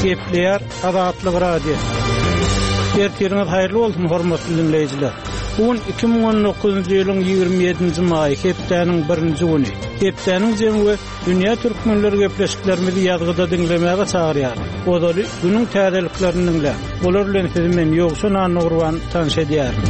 Gepleýär Azatlyk Radiosy. Ertiriňiz haýyrly bolsun, hormatly diňleýjiler. Bu gün 2019-njy ýylyň 27-nji maýy, hepdäniň birinji güni. Hepdäniň jemi we dünýä türkmenleri gepleşiklerimizi ýazgyda diňlemäge çagyrýar. Ozaly günüň täzeliklerini diňläň. Olar bilen sizi men Ýowşan Annagurban tanyş edýärin.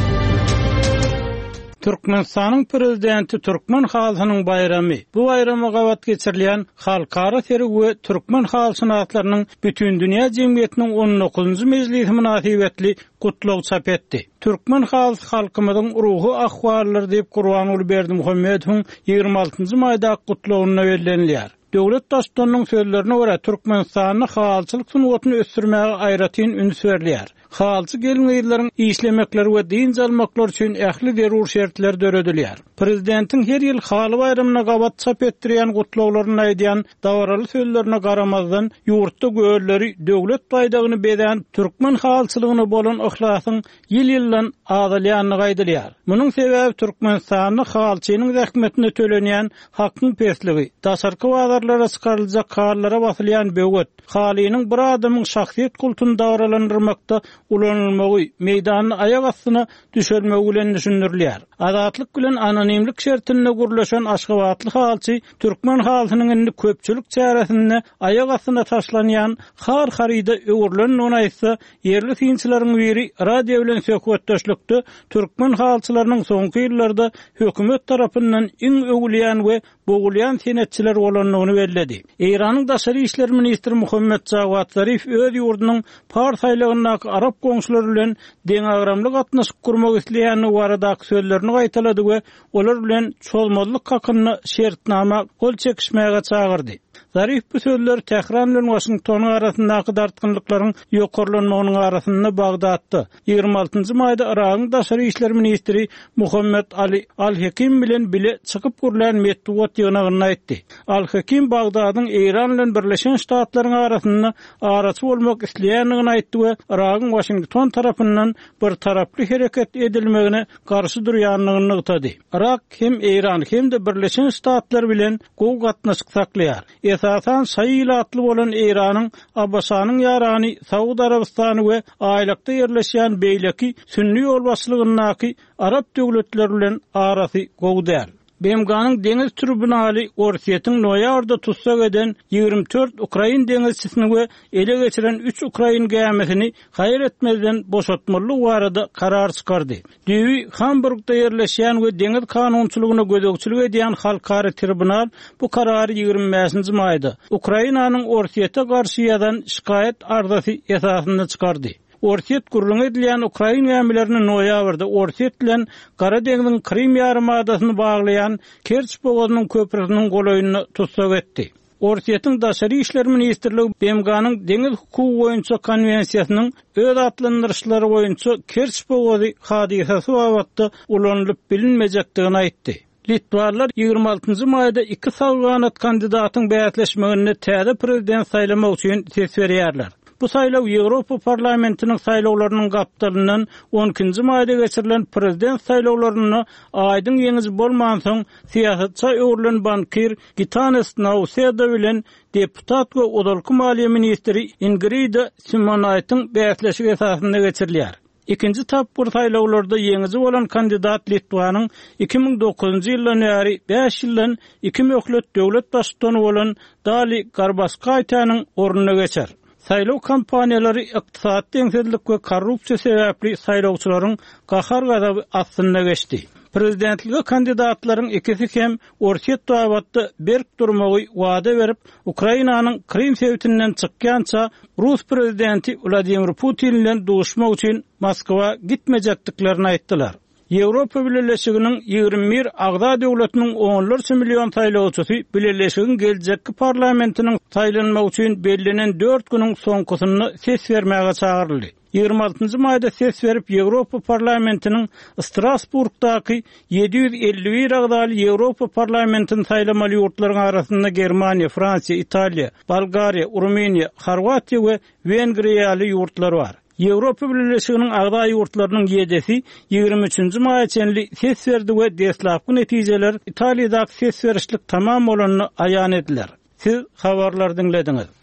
Türkmenistanyň Prezidenti Türkmen halysynyň baýramy, bu baýrama gabat geçirilýän Halkara sergi we türkmen halyşynaslarynyň Bütindünýä jemgyýetiniň on dokuzynjy mejlisi mynasybetli gutlag çap etdi. Türkmen halysy halkymyzyň ruhy ahwalydyr diýip, Gurbanguly Berdimuhamedowyň 26 njy maýdaky gutlagynda bellenilýär. Döwlet Baştutanynyň sözlerine görä, Türkmenistanda halyçylyk sungatyny ösdürmäge aýratyn üns berilýär. Halyçy gelin-gyzlaryň işlemekleri we dynç almaklary üçin ähli zerur şertler döredilýär. Prezidentiň her ýyl Haly baýramyna gabat çap etdirýän gutlaglarynda aýdýan dabaraly sözlerine garamazdan, ýurtda gölleri döwlet baýdagyny bezän türkmen halyçylygyna bolan yhlasyň ýyl-ýyldan azalýandygy aýdylýar. Munuň sebäbi Türkmenistanda halyçynyň zähmetine tölenýän hakyň pesligi, daşarky bazarlara çykaryljak halylara basylýan böwet, halynyň bir adamyň şahsyýet kultuny dabaralandyrmakda ulanylmagy, meýdanda aýak astyna düşelmegi bilen düşündirilýär. Azatlyk bilen anonimlik şertinde gürleşen aşgabatly halyçy türkmen halysynyň indi köpçülik çäresinde aýak astyna taşlanýan har haryda öwrülendigini aýtsa, ýerli synçylaryň biri radio bilen söhbetdeşlikde türkmen halyçylarynyň soňky ýyllarda hökümet tarapyndan iň öwülýän we bogulýan senetçiler bolandygyny belledi. Eýranyň daşary işler ministri Muhammet Jawad Zarif öz ýurdunyň Pars aýlagyndaky arap goňşulary bilen deňagramly gatnaşyk gurmak isleýändigi baradaky sözlerini gaýtalady we olar bilen çozmazlyk hakynda şertnama gol çekişmäge çagyrdy. Zarif bu sözleri Tähran bilen Waşingtonyň arasyndaky dartgynlyklaryň ýokarlanmagynyň arasynda Bagdatda, 26 maýda Yragyň daşary işler ministri Muhammet Ali Al-Hekim bilen bile çykyp gürlän metbugat ýygnagynda aýtdy. Al-Hekim Bagdadyň Eýran bilen Birleşen Ştatlaryň arasynda araçy bolmak isleýändigini aýtdy we Yragyň Waşington tarapyndan birtaraply hereket edilmegine garşy durýandygyny nygtady. Yrak hem Eýran hem-de Birleşen Ştatlar bilen gowy gatnaşyk saklaýar. Esasan şaýy ilatly bolan Eýranyň ABŞ-nyň ýarany Saud Arabystany we aýlakda ýerleşýän beýleki sünni ýolbaşçylygyndaky arap döwletleri bilen arasy gowy däl. BMG-niň deňiz tribunaly Orsýetiň noýabrda tussag eden 24 ukrain deňizçisini we ele geçiren üç ukrain gämisini haýal etmezden boşatmalydygy barada karar çykardy. Düýbi Hamburgda ýerleşýän we deňiz kanunçylygyna gözegçilik edýän halkara tribunal bu karary 25-nji maýda, Ukrainanyň Orsýete garşy ýazan şikaýat arzasy esasynda çykardy. Orsýet gürrüňi edilýän ukrain gämilerini noýabrda Orsýet bilen Gara deňziň Krym ýarymadasyny baglaýan Kerç bogazynyň köprüsiniň golaýynda tussag etdi. Orsýetiň Daşary işler ministrligi BMG-niň Deňiz hukugy boýunça konwensiýasynyň öz atlandyryşlary boýunça Kerç bogazy hadysasy babatda ulanylyp bilinmejekdigini aýtdy. Litwalylar 26 njy maýda iki sag ganat kandidatyň bäsleşmeginde täze prezident saýlamak üçin ses berýärler. Bu saýlaw Ýewropa Parlamentiniň saýlawlarynyň gapdalyndan on ikinji maýda geçirilen prezident saýlawlarynda aýdyň ýeňiji bolmansoň, syýasatça öwrülen bankir Gitanas Nauseda bilen deputat we ozalky maliýe ministri Ingrida Simonaýtyň bäsleşigi esasynda geçirilýär. Ikinji tapgyr saýlawlarda ýeňiji bolan kandidat Litwanyň 2009-njy ýyldan bäri bäş ýyldan iki möhlet döwlet baştutany bolan Dali Garbaskaýtäniň ornuna geçer. Saýlaw kampaniýalary ykdysady deňsizlik we korrupsiýa sebäpli saýlawçylaryň gahar-gazaby astynda geçdi. Prezidentlige kandidatlaryň ikisi hem Orsýet babatda berk durmagy wada berip, Ukrainanyň Krym sebitinden çykýança rus prezidenti Wladimir Putin bilen duşmak üçin Moskwa gitmejekdiklerini aýtdylar. Ýewropa Bileleşiginiň 21 agza döwletiniň onlarça million saýlawçysy bileleşigiň geljekki parlamentiniň saýlanmagy üçin bellenen dört günüň soňkusynda ses bermäge çagyryldy. 26 maýda ses berip Ýewropa Parlamentiniň Strasburgdaky 751 agzaly Ýewropa Parlamentini saýlamaly ýurtlaryň arasynda Germaniýa, Fransiýa, Italiýa, Bolgariýa, Rumyniýa, Horwatiýa we Wengriýa ýaly ýurtlar bar. Ýewropa Bileleşiginiň agza ýurtlarynyň ýedisi 23 maýa çenli ses berdi we deslapky netijeler Italiýadaky ses berişlik tamam bolanda aýan ediler. Siz habarlary diňlediňiz.